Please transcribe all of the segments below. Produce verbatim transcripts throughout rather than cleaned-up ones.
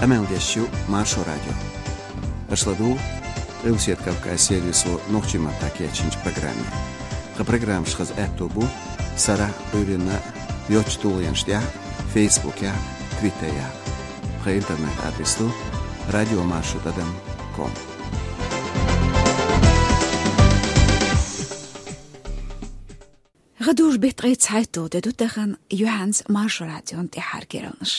Къамел деш ю Маршо радио. Аша ладугӀу Къилбаседа Кавказ сервисо нохчийн маттахь кечйинчу программе. Тхан программаш хаза аьтто бу сарахь а, Ӏуьйранна а йоцчу тулгӀенаш тӀехь а, Фейсбукехь а, Твиттерехь а. Тхан интернет-адрес ду радиомаршо тӀадам ком. ГӀадужу беттан ткъе цхьайтталгӀа де ду тахана, юьхьанца Маршо радион тӀаьххьара керланаш.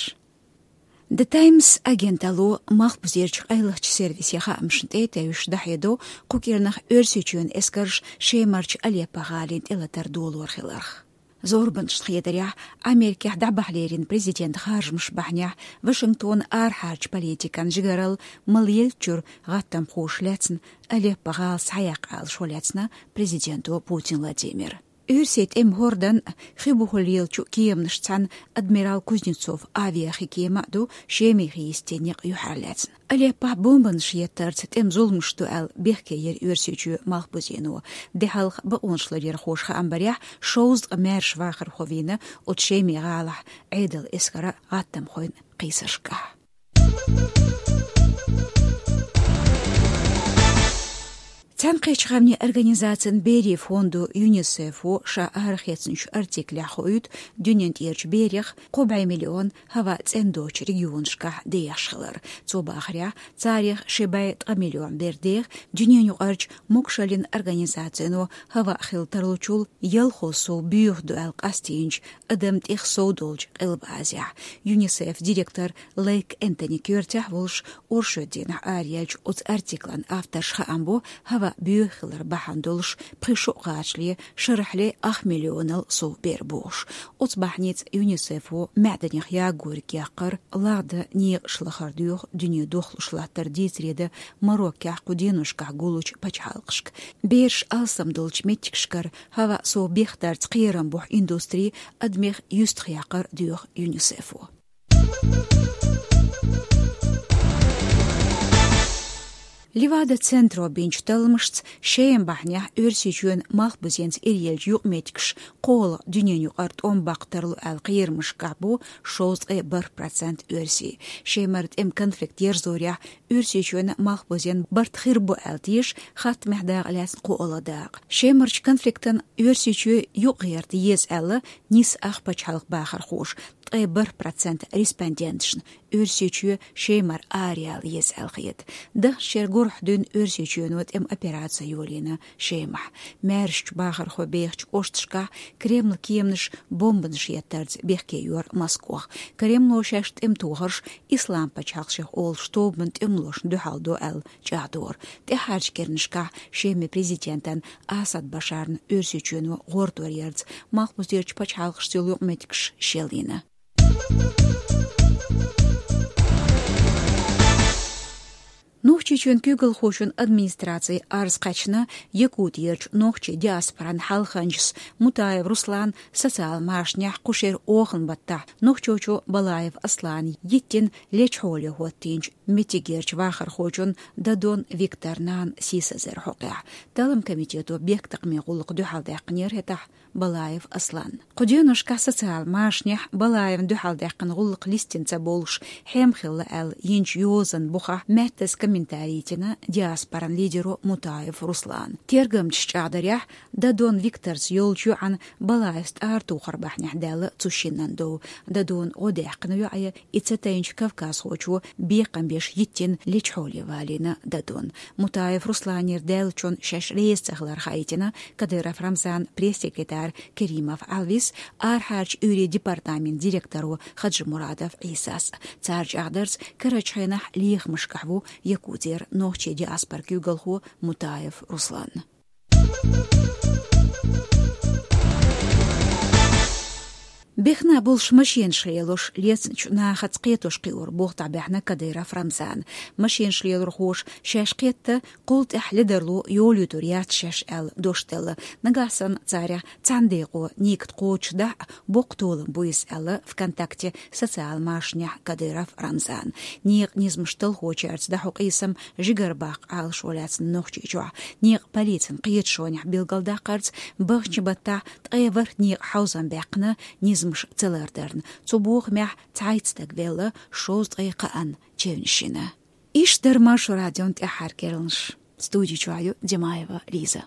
The Times агенталло малхбузерчу къайлахчу сервисийн хаамашна тӀе а тевжаш дӀахьедо кху кӀирнах Оьрсийчоьнан эскарш Шемарчу Алеппо гӀалина тӀелатар долор хиларх. Зорбанашна хетарехь, Америкехь дӀабахьа лерина президентан харжамаш бахьанехь, Вашингтонан арахьарчу политикан жигаралла малъеллачуьра гӀаттамхоша лаьцна Алеппо гӀала схьаяккха аьлла шо лаьцна президенто Путин Владимира. Оьрсийн тӀеман хӀордан хи бухахь лелачу кеманашца цхьаьна адмирал Кузнецов авиахи кема а ду Шемахь йисте некъ юьхьарлаьцна. Алеппохь бомбанаш еттарца тӀеман зуламаш ду аьлла бехке йира Оьрсийчоь малхбузено. Де хьалха бакъонашларъярхоша хаам барехь, шовзткъа маьрша вахархо вийна оцу Шеман гӀалахь Ӏедалан эскаран а, гӀаттамхойн а кхийсаршкахь. Цхьаьнакхеттачу гӀаьмнийн организацин берийн фондо ЮНИСЕФо ша арахецначу артиклехь хоуьйту дуьнен тӀерачу берех кхо бӀе миллион хӀаваъ цӀена доцучу регионашкахь дехаш хилар. Цо бахарехь, царех ши бӀе ткъа миллион бер деха дуьненаюкъарчу могушаллин организацино хӀаваъ хила тарлучул ялхо сов боьха ду аьлла къастийначу адамна тӀех сов долчу Къилба Азехь. ЮНИСЕФ директор Лейк Энтони коьртехь волуш, оршот дийнахь араяьллачу оцу артиклан авторша хаам бо хӀаваъ боьха хилар бахьана долуш пхи шо кхачале, шарахьле ах миллионал сов бер бохуш. Оцу бахьаница ЮНИСЕФо маьӀданех ягориг яккхар, лагӀдан некъаш лахар доьху дуьне дохлуш латтар дийцаре дан Мароккехь кху деношкахь гуллучу пачхьалкхашка. Бераш алсам долчу меттигашкара хӀаваъ сов бехдарца кхерам бохьу индустри адамех юьстах яккхар доьху ЮНИСЕФо. Левада-центро бинчу талламашца Шеман бахьанехь Оьрсийчоьнан малхбузенца иръеллачу юкъаметтигаш кхоалгӀа дуьненаюкъара тӀом баккха тарло аьлла кхерамашкахь бу шовзткъе бархӀ процент оьрсий. Шемара тӀеман конфликт ерзорехь Оьрсийчоьнан малхбузенна барт хир бу аьлла теша хаттамехь дакъа лаьцна кхоалгӀа дакъа. Шемарчу конфликтана Оьрсийчоь юкъагӀерта еза аьлла, нисса ах пачхьалкхан бахархоша, ткъе бархӀ процент респонденташна Оьрсийчоь Шемара араяла еза аьлла хета. Даханчу шеран гурахь дуьйна Оьрсийчоьно тӀеман операци йолийна Шемахь. Маьршачу бахархой бехачу кӀошташкахь Кремлан кеманаша бомбанаш еттарца бехке йора Москох. Кремло шаьш тӀеман тохарш ислам пачхьалкх шех олуш тобанан тӀемалошна дуьхьал до аьлла чӀагӀдора. ТӀаьххьарчу керланашкахь Шеман президентан Асад Башарна Оьрсийчоьно гӀортор ярца малхбузерчу пачхьалкхашца йолу юкъаметтигаш шелйина. Нохчийчоьнан куьйгалхочун администраци арз кхаьчна Якутиерчу нохчийн диаспоран хьалханчас Мутаев Руслана социал машанехь кху шеран оханан баттахь нохчочо Балаев Аслана йиттина лечу хьоле хӀоттийначу меттигерчу вахархочун Дадон Викторан нанан сийсазар хьокъехь. Талламан комитето бехктакхамийн гӀуллакх дуьхьалдаьккхинера хӀетахь Балаев Асланна. Кху деношкахь социал машанехь Балаевна дуьхьалдаьккхина гӀуллакх листина ца болуш хьем хилла аьлла йинчу йозанан бухахь маьттаза комментарий йина диаспоран лидеро Мутаев Руслана. Тергамчаша чӀагӀдарехь, Дадон Викторца йолчу йоӀана Балаевс тӀаратухар бахьанехь даьлла цу шиннан дов. Дадон гӀо даьккхина йоӀе и ца тайначу кавказхочо бекхам беш йиттина лечу хьоле валийна Дадон. Мутаев Русланера даьллачунна шаьш реза ца хилар хаийтина Кадыров Рамзанан пресс-секретарь Керимов Ӏалвис, арахьарчу Ӏуьйрийн департаментан директоро Хаджимурадов Ӏийсас. Цара чӀагӀдарца, карарчу хенахь лехамашкахь ву Якутера нохчийн диаспоран куьйгалхо Мутаев Руслан. Бехна болуш машенаш лелош, лецначу нахаца кхетош кхиор болх дӀабаьхьна Кадыров Рамзана. Машенаш лелорхоша шаьш кхетта, кхул тӀаьхьа ледарло йолуьйтур яц шаьш аьлла дош делла. Нагахь санна царех цхьана декъо некат кхочушдахь а, боккха толам бу иза аьлла ВКонтакте социал машанехь Кадыров Рамзана. Некъан низамаш талхочаьрца дӀахьо къийсам жигара баккха Ӏалашо лаьцна Нохчийчохь. Некъан полицин кхеташонехь билгалдаккхарца, баханчу баттахь ткъе ворхӀ некъан хьовзам баьккхина низам ца лардарна. Цу бохамехь цхьайтта стаг велла, шовзткъе кхаанна чевнаш йина. Иштта дара Маршо радион тӀаьххьара керланаш. Студи чохь ю Димаева Лиза.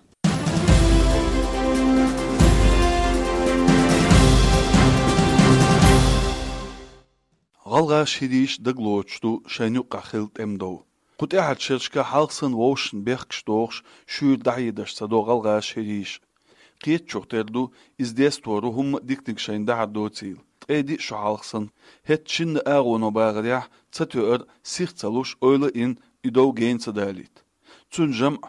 ГӀалгӀаша хӀирийша дагалоцуш ду шайна юккъехь хилла тӀемадов. Кху тӀаьххьарчу шерашка хьалха санна вовшашна бехкаш дохуш, шуьйра дӀахьедаш ца до гӀалгӀаша хӀирийша. Кхетачух тера ду, иза дестор ву хӀумма а диканиг шайна дахьар доцийла. Ткъе диъ шо хьалха санна, хӀетта шинна агӀоно бахарехь, ца тоьар, сих ца луш, ойла а йина, и дов гена ца далийта. Цуьнан жамӀ,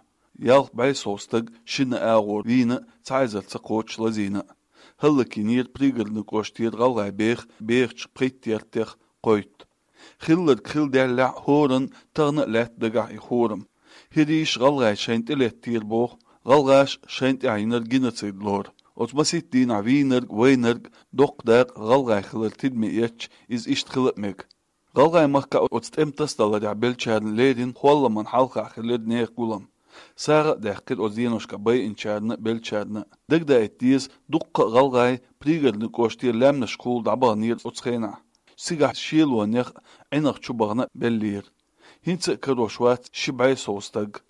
ялх бӀе сов стаг, шинна агӀор вийна а, цхьа эзар ца кхочуш лазийна а. ХӀаллакйинера Пригородни кӀоштера гӀалгӀай беха бехачу пхийттех кхойтта. Хилларг хилла даьллехь, хӀоранна тахана а лаьтта дагахь и хӀорам. ХӀирийша гӀалгӀай шайна тӀелеттера боху, гӀалгӀаша шайна тӀехь йинарг геноцид лору. Оцу масийтта дийнахь вийнарг, вайнарг, доккха дакъа гӀалгӀай хилар тидаме эцча, иза иштта хила а мега. ГӀалгӀай махкахь оцу тӀеман тасадаларехь беллачарна леррина холламан хьалхахь хилира нехан гулам. СагӀа а даьккхира оцу деношкахь байинчарна а, беллачарна а. Дагадаийта деза, дуккха а гӀалгӀай Пригородни кӀоштера лаьмнашкахула дӀабаханера оцу хенахь. Цигахь шелонех а, Ӏинах чу бахана а беллера. ХӀинца а карош вац ши бӀе сов стаг.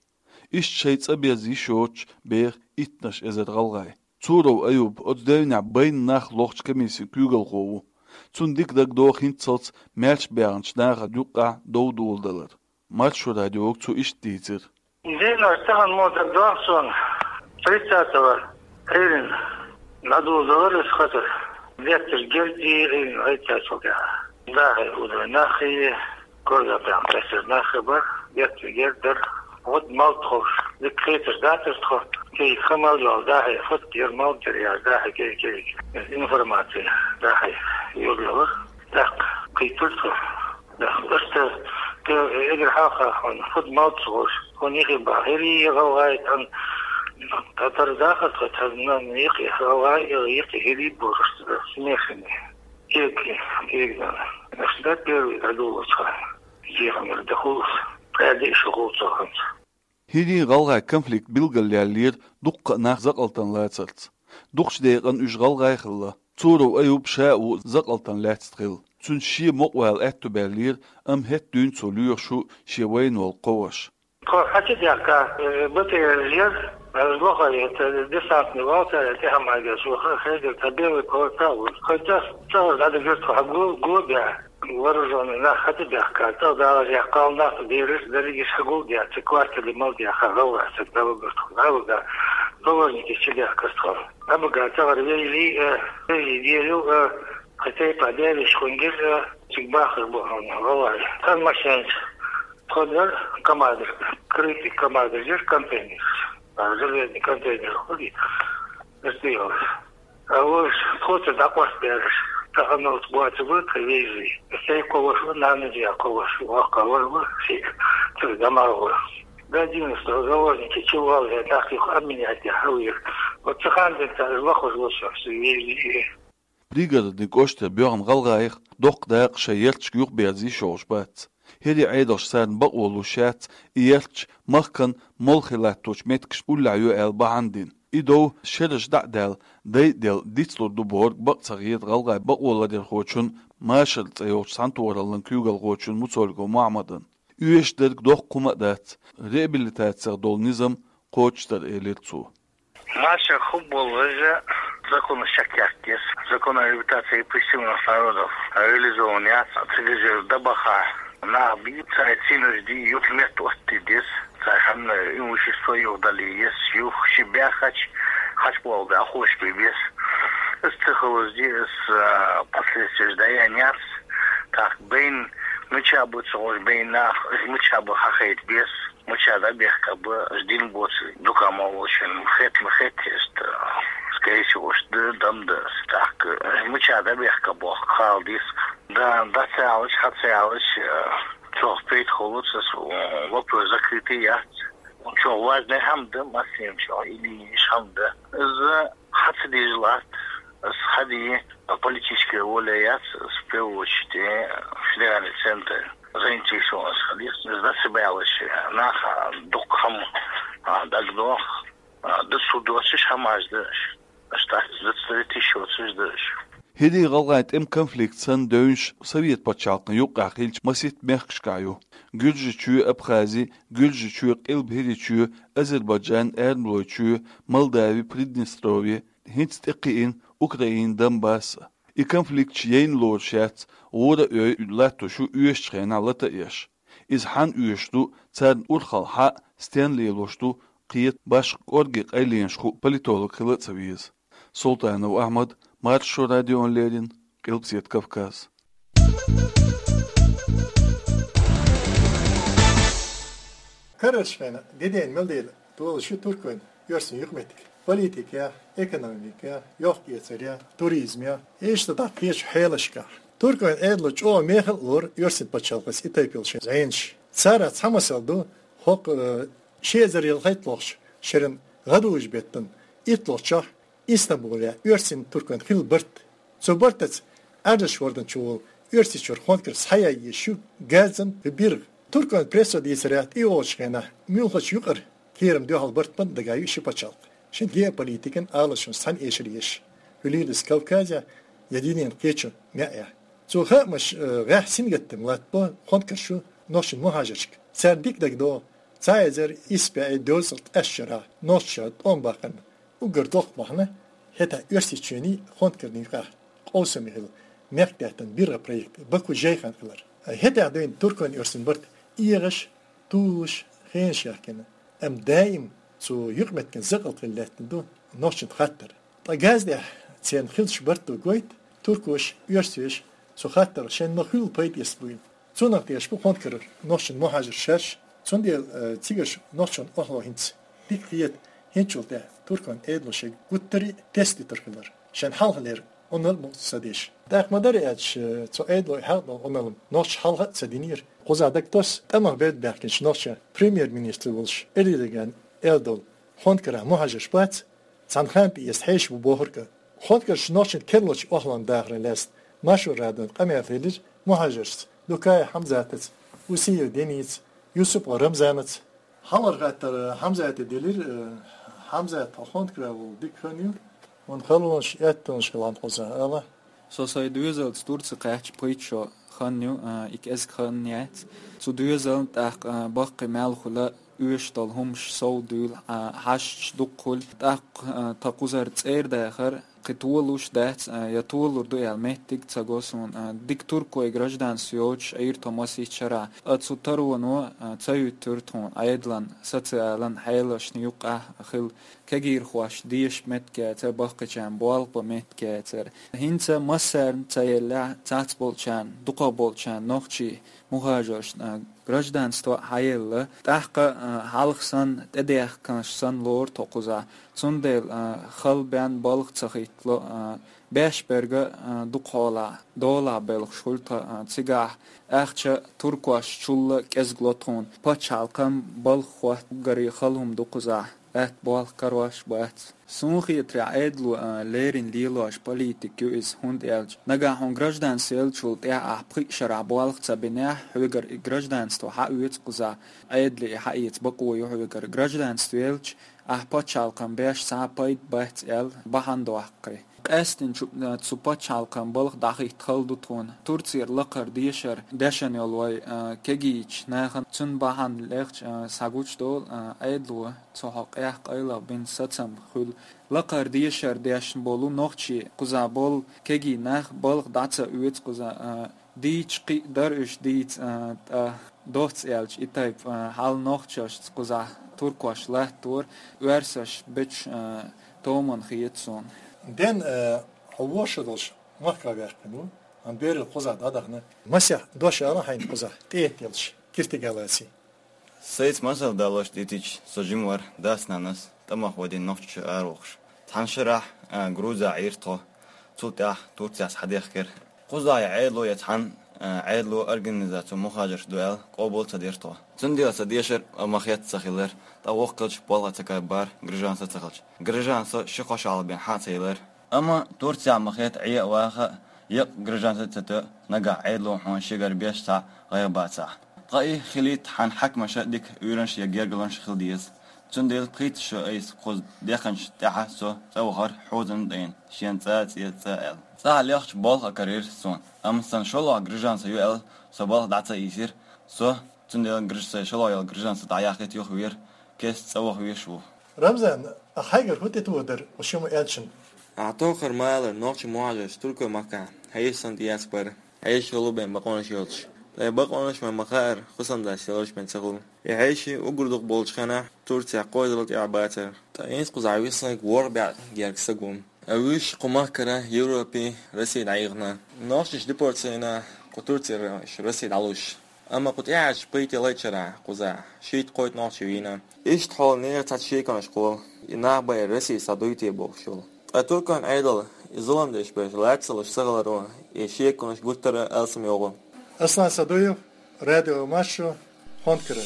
Иштта шайн цӀа беза йиш йоцуш беха иттанаш эзар гӀалгӀай. Цуров Аюб оцу девнехь байна нах лохучу комиссин куьйгалхо ву. Цунна дика дагадогӀу хӀинццалц маьрша баьхначу нахана юккъехь дов доладалар. Маршо радиога цо иштта дийцира. Дийнахь тахана мо дагадогӀу суна, тридцатого Ӏуьйранна дӀадоладелира иза хатар. Бетташ герга дийгӀина гӀайттачул тӀаьхьа. Дахьий хӀудай нах хии, Корзапехь тасар нах а бара, бетташ герга дара. Вот малт ховш, дика кхеташ дацара тхо, кегий хан мел йолу дахьий, фатта яра, малт яра яра дахьий, кегий, кегий. Информаци дахьий юьрла вара. ТӀаккха кхийтира тхо. ТӀаккха иштта, эггара хьалха хьуна, фатта малт ховш, хьуна йихи бахьа, хӀирий гӀалгӀай, тхан, тхан тара дахар тхо, тхан йикхи гӀалгӀай, йикхи хӀирий бохуш, смешанный. Кеги, кеги, да. Значит, да, первый дӀадолучу хьан. Зехамар дахулаш, кӀаьдий шу гӀулцаханца. ХӀирий-гӀалгӀай конфликт билгалъяьллера дуккха а нах закъалтан лацарца. Дукхачу декъан уьш гӀалгӀай хилла. Цуров Аюб ша а ву закъалтан лаьцна хилла. Цуьнца шен мукъавала аьтту баьллера, амма хӀетта дуьйна цо лоьхуш ву шен вайна волу кхо ваша. Тхо хьа ца даьхка, э, Б Т Р яра, э, лохара, э, десантный валта, э, тӀехьа ма геш, ваха, хедира, цхьа белый кхоьца а ву. Кхоьца а, цӀа дӀадигира тхо, хьа го, го беа, вооружённый нах хьа ца даьхка, цӀа дагӀаш яьккхал нах, бераш, дерригаш хьа гул деа, цу квартале мал деа, хьа гӀалгӀа, цу дӀавигира тхо, дӀавига, заложники чу даьхкира тхо. ДӀабига, цӀагӀара вежарий, э, вежарий деррил, э, хьа тайпа дерриш хуьнгира, э, цига бахар бу хьуна, гӀалгӀай. Цхьана машенаш, Тхо дара КамАЗ, крытый КамАЗ дара контейнер. А, железный контейнер хуьлий, дара тӀе йолуш. А уьш тхоца дӀакъост бераш, тахана оцу боцу бу тхан вежарий. Сай кхо ваша ву, нана я кхо ваша ву, воккха вара ву, ши, цуьнан дамагӀа вара. До одиннадцатого заложники чу валла, нах юха обменять ян хьавира. Вот цу ханна денз цара лохуш ву шух, ши вежарий. Пригородни кӀоштара боьхна гӀалгӀайх доккха дакъа шайн ярташка юхаберза йиш йолуш бац. ХӀирийн Ӏедалша царна бакъо луш яц, и ярташ махкан молхе латточу меттигашна уллехь йо аьлла бахьана дина. И дов шераш дӀа а даьлла, дай а делла, дицлур ду бохург бакъ ца хета гӀалгӀай бакъоларъярхочун, Машар цӀе йолчу цхьаьнатохараллин куьйгалхочун Муцольгов Мохьмадан. Оьшуш дерг доккха хӀума а дац, реабилитацех долу низам кхочушдар, элира цо. Маша хӀун болу вежа, законаш чекхъяхкес, закон о реабилитации репрессированных народов реализован яц, цигара дабаха нах бий, цара цӀенош дий, юха метта оттаде деза, цара ханна имущество юха дале еза, юха ши баьхача, хачболга хош бе беза. Ас ца ховзди, ас, а, последствияш даян яц, так, байн, мича бу ца гӀош, байн нах, ас мича бу хьахайта беза. Мича дӀабехка бу, аш дин боцу дукха ма волчун, хет ма хет, иштта, скорее всего, уьш ду, дам ду, так, мича дӀабехка боху, хала дис. Да, да ца алаш, хьа ца алаш, э, чохь пейт холуц, ас, э, вопрос закрытый яц. Чохь важный хӀама ду, массийна чохь, или иш хӀама ду. Из хьа ца дийжа латт, ас хьади, политическая воля яц, ас в первую очередь, э, федеральный центр. Заинтересованность хилийта, дацабаьллачу наха дукха хӀама, а, дагадогӀу, а, дацу доцуш хӀамаш ду аша. Аша дац, дацдарий тиша йоцуш ду аша. ХӀирийн-гӀалгӀайн тӀеман конфликт санна девнаш Совет пачхьалкхана юкъахь хиллачу масийтта мехкашкахь ю: Гуьржийчоь, Абхази, Гуьржийчоь, Къилба ХӀирийчоь, Азербайджан, Эрмалойчоь, Молдави, Приднестровье, хӀинца тӀекхиъна Украина, Донбасс. И конфликташ яйна лоруш яц, гӀора а йой, латтош ю оьшучу хенахь лата а еш. Иза хьанна оьшуш ду, царна урхалла хьан а, стенна лелош ду, кхета, башха кӀорге къайленаш хуу политолог хила а ца веза. Султанов Ахьмад, Маршо радиона леррина, Къилбаседа Кавказ. Карарчу хенахь, де дена мел дела, долуш ю туркойн оьрсийн юкъаметтиг. Политикехь, экономикехь, йохк-эцарехь, туризмехь, иштта дӀа кхечу хьелашкахь. Туркойн Ӏедало чӀогӀа мехала а лору оьрсийн пачхьалкхаца и тайпа йолу шайн зӀенаш. Царах цхьа масал ду, хӀокху, э, ши эзар ялхайтталгӀачу шеран гӀадужу беттан итталгӀачохь Истамбулехь оьрсийн-туркойн хилла барт. Цу бартаца Ӏаьржачу хӀордан чу волу Оьрсийчуьра Хонкар схьаяйъеш ю газан биргӀа. Туркойн прессо дийцарехь, тӀе йолчу хенахь муьлхачу юкъара кхерам дуьхьал барт бан дагахь ю ши пачхьалкх. Шен геополитикан алашонаш цхьаьна эшар еш. Хуьлийла иза Кавказехь я динан кхечу маьӀехь. Цу хаамаш, э, гӀехь сингаттам латтабо Хонкарш ю нохчийн мухӀажаршка. Царна дика дагадогӀу, цхьа эзар исс бӀе дезткъа тӀаьшшарахь нохчаша тӀом баккхарна уггар доккха бахьана, хӀетахь Оьрсийчоьнний Хонкарний юкъахь къовсаме хилла мехкдаьттан биргӀа проект Баку-Жейхан хилар. ХӀетахь дуьйна туркойн-оьрсийн барт эгӀаш, тулуш, хенаш яхкина, амма даим цу юкъаметтиган закъалт хилла лаьттина ду нохчийн хаттар. Ткъа газдехь церан хиллачу барто гойту, туркоша, оьрсаша цу хаттарах шайна ма-хуьллу пайда эцна буйла. Цунах тешаш бу Хонкаран нохчийн мухӀажарш шаьш, цундела, э, цигарчу нохчийн охьало хӀинца дика хета, хӀинцачул тӀаьхьа туркойн Ӏедало шайн гуттар а тестадитар хилар, шайн хьалхалера Ӏуналла мукъ ца деш. ТӀаккха ма-дарра аьлча, э, цу Ӏедало хьалха долу Ӏуналла нохчаша хьалха а ца динера. Кхузахь дагатосу тӀамах берд баьхкинчу нохчийн премьер-министр волуш Эрдоган аьлла долу Хонкарахь мухӀажарш бац, цхьана ханна тӀе иза хьешаш бу бохург а. Хонкарш нохчийн керлачу охьалонна дахаран лаьцна Маршо радион къамел хилира мухӀажаршца, Дукая Хьамзатаца, Усиев Деница, Юсупов Рамзанаца. Хьалхара хаттар Хьамзата делира, э, Хьамзат, хьо Хонкарахь волу дика хан ю, хьуна халонаш, аьттонаш хилла кхузахь ала. Со сайн доьзалца Турце кхаьчча пхийтта шо хан ю, а, и кӀезиг хан яц. Цу доьзална тӀаккха, а, баккхий мел хуьлу, оьшуш долу хӀумнаш сов дуьйла, а, хьашташ дукха хуьлу. ТӀаккха, а, тхан кхузара цӀера дахар кхин толуш дац, а, я толур ду аьлла меттиг ца го суна. А, дика туркойн гражданство йоцуш Ӏийра тхо масийтта шарахь. Ткъа цу тароно, а, ца хӀуьттура тхуна Ӏедалан социалан хьелашна юкъахь хилла кегийрхошна деша меттиг яцара, баккхийчарна болх бан меттиг яцара. ХӀинца массарна ца еллехь, цхьацболчарна, дукхахболчарна нохчийн мухӀажаршна, а, гражданство хьаелла. ТӀаккха, а, хьалха санна, тӀедехканаш санна лору тхо кхузахь. Цундела, а, хала бен балха ца хӀиттало, а, беш берг а, а, дукха хьолахь долахь белхаш хуьлу тхан, а, цигахь ахча туркошчулла кӀезиг ло тхуна. Пачхьалкхам балха хӀотта гарий хала хӀума ду кхузахь. Атта болх карош бац. Суна хетарехь, Ӏедало, а, леррина лелош политика ю иза, хӀунда аьлча нагахь хьуна гражданство еллачул тӀаьхьа ахь пхиъ шарахь болх ца бинехь, хьоьгара и гражданство хьаоьцу кхузахь, Ӏедале и хьаэца бакъо ю хьоьгара. Гражданство елча, ахь пачхьалкхам беш цхьа а пайда бац аьлла бахьана доккху. Къаьсттина чу, а, цу пачхьалкхам балха дӀахӀитта хала ду тхуна. Турцера лакхара дешар дешна йолу вай, а, кегийчу нахана, цуьнан бахьана лехча, а, схьагучудолу, а, Ӏедало цу хьокъехь къайлаха бина сацам хуьлу. Лакхара дешар дешна болу нохчий, кхузахь болу кегий нах балха дӀа ца оьцу кхузахь, а, дийцича кхин а дара уьш дийца, а, ткъа доцца аьлча и тайпа, а, хьал нохчашца кхузахь туркош латтора, оьрсаш бечу, а, томан хета суна. Ден, а, хьо вошаллаш махка ваьккхина ву, амма берал кхузахь дӀадахана. Масех дош ала хьайна кхузахь, тӀе а теллаш, киртиг а лаций. Сайца масал далош дитича, со жима вара дас-нанас тӀамах вадийна нохчаша аравохуш. Цхьана шарахь, а, Грузехь Ӏийра тхо, цул тӀаьхьа Турцехь схьадехкира. Кхузахь я Ӏедало, я цхьана, а, Ӏедало организаци мухажарш ду аьлла, къобал ца дира тхо. Цундела сан дешар а ма хетта ца хилар, ткъа воккхалчу болх а ца кхайбар, гражданство ца хилча. Гражданство ши-кхо шо хьалха бен хьа а ца елира. Амма Турцехь ма хетта Ӏе а ваха, еккъа гражданство ца тоьа, нагахь Ӏедало хьуна шегара беш цхьаъ гӀайгӀа бацахь. Ткъа и хилийта хьан хьаькамаша дика уьйранаш я гергарлонаш хила деза. Цундела пхийтта шу айса кхуза деханчу тӀаьхьа со цӀа вахара хьузан дайна, шен цӀа, цӀе, цӀа аьлла. ЦӀахь лехча болх а карийра суна, амма сан шолгӀа граждан са ю аьлла, со балха дӀа ца ийсира. Со цундела граж-, сайн шолгӀа йолу граждан са дӀаяхийта юхавера, кеста цӀа ваха везаш ву. Рамзан, а хьайгара хӀун тӀетоха дара оцу шимма аьллачунна? Ахьа тохара ма аллара, нохчийн мухӀажарш Туркойн махкахь хьешашна тӀеэцна бара. Хьешаш хуьлу бен бакъонаш йоцуш. Ткъа и бакъонаш вайна ма хаьара, хӀусамда селлачу бен ца хуьлу. И хьеший уггар дукха болчу хенахь Турцехь кхозлагӀа тӀехь бацара. Ткъа хӀинца кхузахь виснарг ворхӀ бӀе гергга стаг ву. Уьш кху махкара Европе, Россе дӀаихна. Нохчаш депортаци йина кху Турцера Россе дӀалуш. Амма кху тӀаьхьарчу пхийтталгӀачу шарахь кхузахь шийтта-кхойтта нохчи вийна. Иштта хьо нехан цхьацца шеконаш кхолу, и нах бен Россе схьадуьйти бохуш йолу. Ткъа Туркойн Ӏедал и зуламдеш берш лаьцна ца луш ца хиларо, и шеконаш гуттара а алсам йогӀу. Аслан Садуев, Радио Маршо, Хонкара.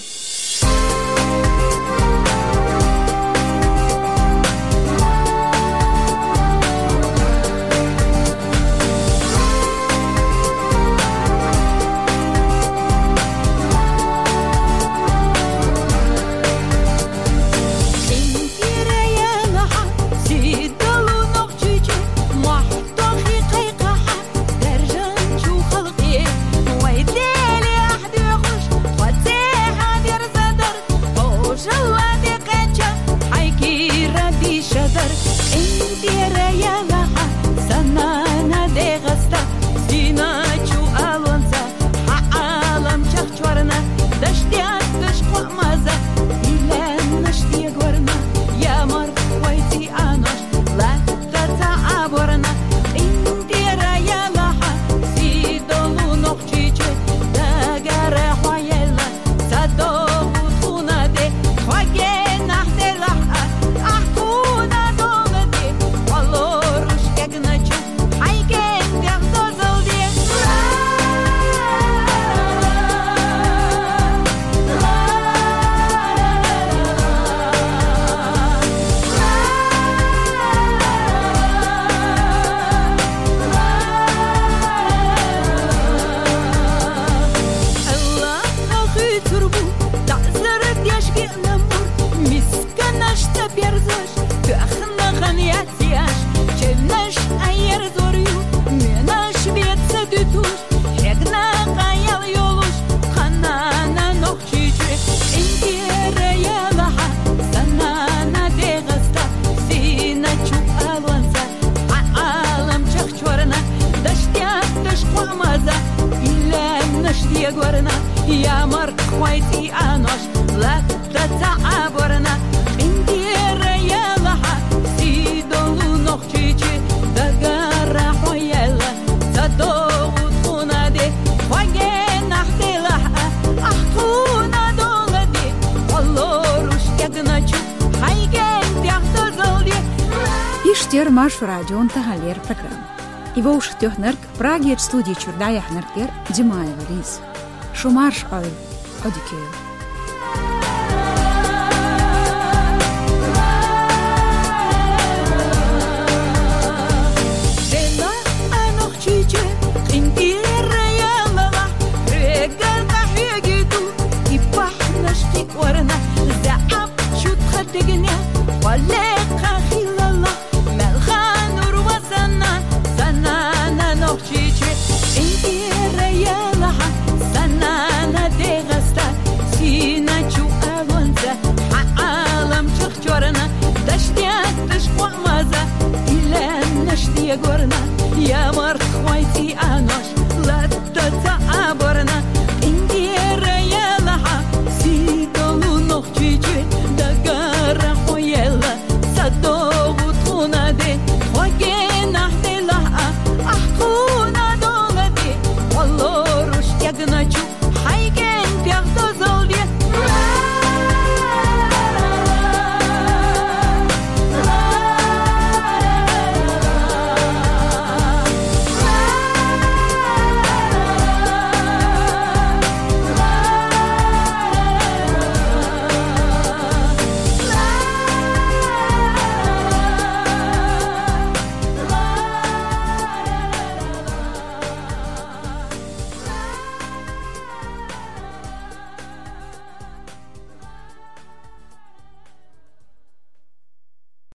Тохий кхайкхахьа, даьржинчу халкъе, вай Деле ахь доьхуш, тхо цӀехьа дерзадар, тховжалла де кхеча, хьайн кийра дийшадар. КъинтӀера ялахьа, сан нана ДегӀаста, сийначу алонца, хьан Ӏаламчех чорна, даш детташ кхоъ маза, и лаьмнаш дегорна, я марх вай цӀий анош, латта ца Ӏаборна, къинтӀера ялахьа, сий долу Нохчийчоь, дагара хьо яьлла, ца догӀу тхуна де, тхо генахь делахь а, ахь тхуна дола де, хьо лоруш кегначу, хьайн кентех дозалла де. Аллахьа хуьйцур бу, таӀзар деш геъна мур, мисканаш ца берзаш, тоьхна гӀан яц еш, чевнаш Ӏа ерзор ю, менаш беца дуьтуш, хьегна къаял йолуш, тхан нана Нохчийчоь, къинтӀера ялахьа, сан нана ДегӀаста, сийначу алонца, хьан Ӏаламчех чорна, даш детташ кхоъ маза, и лаьмнаш дегорна, я марх вай цӀий анош, латта ца Ӏаборна, къинтӀера ялахьа, сий долу Нохчийчоь, дагара хьо яьлла, ца догӀу тхуна де, тхо генахь делахь а, ахь тхуна дола де, хьо лоруш кегначу, хьайн кентех дозалла де. Иштта яра Маршо радион таханлера программа. И вовшахтоьхнарг, Прагерчу студи чуьра дӀаяьхьнарг яра Димаева Лиза. Шу марша Ӏойла, Ӏодика йойла. Делахь а Нохчийчоь, къинтӀера ялахь, хьоьгара къахьоьгуьйту, и бахьанаш кхиорна, заьӀап чу тхан дегнех, хьо лекха хилалахь, мел хан нур ва сан нана, сан нана Нохчийчоь, къинтӀера ялахьа, сан нана ДегӀаста, сийначу алонца, хьан Ӏаламчех чорна, даш детташ кхоъ маза, и лаьмнаш дегорна, я марх вай цӀий анош,